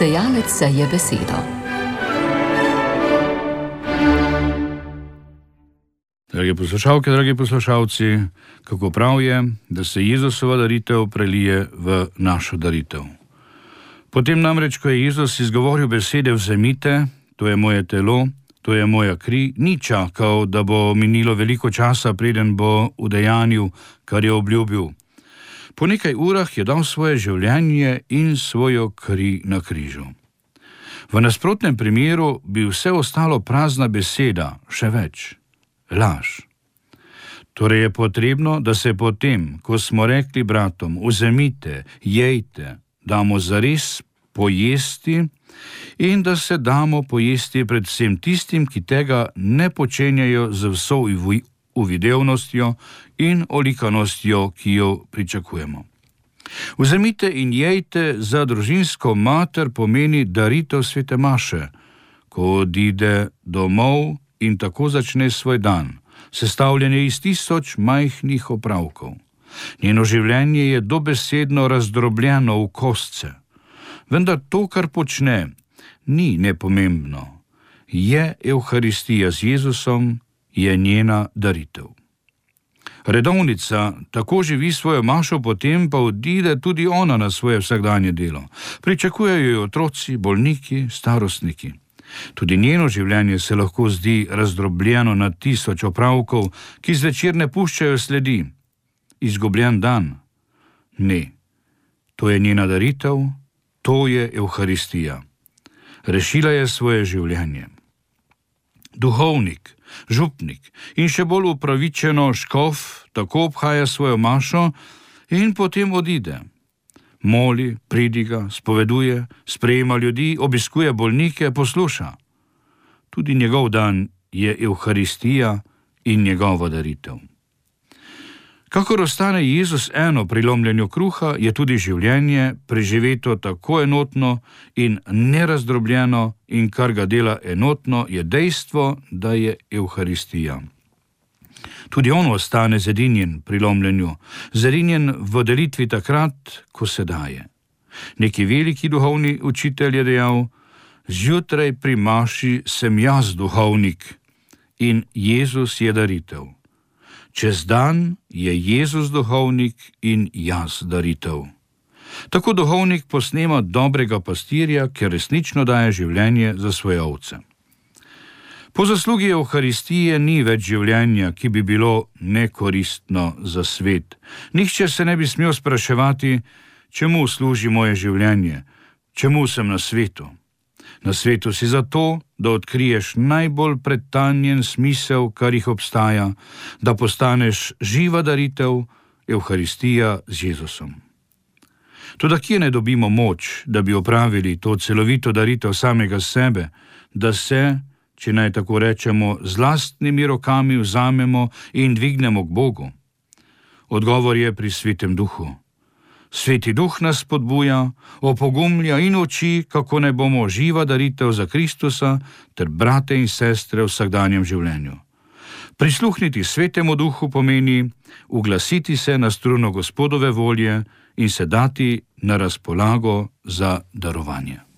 Sejalec seje besedo. Drage poslušalke, dragi poslušalci, kako prav je, da se Jezusova daritev prelije v našo daritev. Potem namreč, ko je Jezus izgovoril besede vzemite, to je moje telo, to je moja kri, ni čakal, da bo minilo veliko časa, preden bo udejanil, kar je obljubil. Po nekaj urah je dal svoje življenje in svojo kri na križu. V nasprotnem primeru bi vse ostalo prazna beseda, še več, laž. Torej je potrebno, da se potem, ko smo rekli bratom, vzemite, jejte, damo zares pojesti in da se damo pojesti predvsem tistim, ki tega ne počenjajo z vso uvidevnostjo in olikanostjo, ki jo pričakujemo. Vzemite in jejte za družinsko mater pomeni daritev svete maše, ko odide domov in tako začne svoj dan, sestavljen je iz 1000 majhnih opravkov. Njeno življenje je dobesedno razdrobljeno v kostce. Vendar to, kar počne, ni nepomembno. Je Evharistija z Jezusom, je njena daritev. Redovnica tako živi svojo mašo, potem pa odide tudi ona na svoje vsakdanje delo. Pričakujejo jo otroci, bolniki, starostniki. Tudi njeno življenje se lahko zdi razdrobljeno na 1000 opravkov, ki zvečer ne puščajo sledi. Izgubljen dan? Ne. To je njena daritev, to je Evharistija. Rešila je svoje življenje. Duhovnik, župnik in še bolj upravičeno škof tako obhaja svojo mašo in potem odide. Moli, pridiga, spoveduje, sprejema ljudi, obiskuje bolnike, posluša. Tudi njegov dan je Evharistija in njegova daritev. Kakor ostane Jezus eno pri lomljenju kruha, je tudi življenje preživeto tako enotno in nerazdrobljeno in kar ga dela enotno, je dejstvo, da je Evharistija. Tudi on ostane zedinjen pri lomljenju, zedinjen v delitvi takrat, ko se daje. Neki veliki duhovni učitelj je dejal, zjutraj pri maši sem jaz duhovnik in Jezus je daritev. Čez dan je Jezus duhovnik in jaz daritev. Tako duhovnik posnema dobrega pastirja, ki resnično daje življenje za svoje ovce. Po zaslugi Evharistije ni več življenja, ki bi bilo nekoristno za svet. Nihče se ne bi smel spraševati, čemu služi moje življenje, čemu sem na svetu. Na svetu si zato, da odkriješ najbolj pretanjen smisel, kar jih obstaja, da postaneš živa daritev, Evharistija z Jezusom. Toda kje ne dobimo moč, da bi opravili to celovito daritev samega sebe, da se, če naj tako rečemo, z lastnimi rokami vzamemo in dvignemo k Bogu? Odgovor je pri Svetem Duhu. Sveti Duh nas spodbuja, opogumlja in uči, kako naj bomo živa daritev za Kristusa ter brate in sestre v vsakdanjem življenju. Prisluhniti Svetemu Duhu pomeni uglasiti se na struno Gospodove volje in se dati na razpolago za darovanje.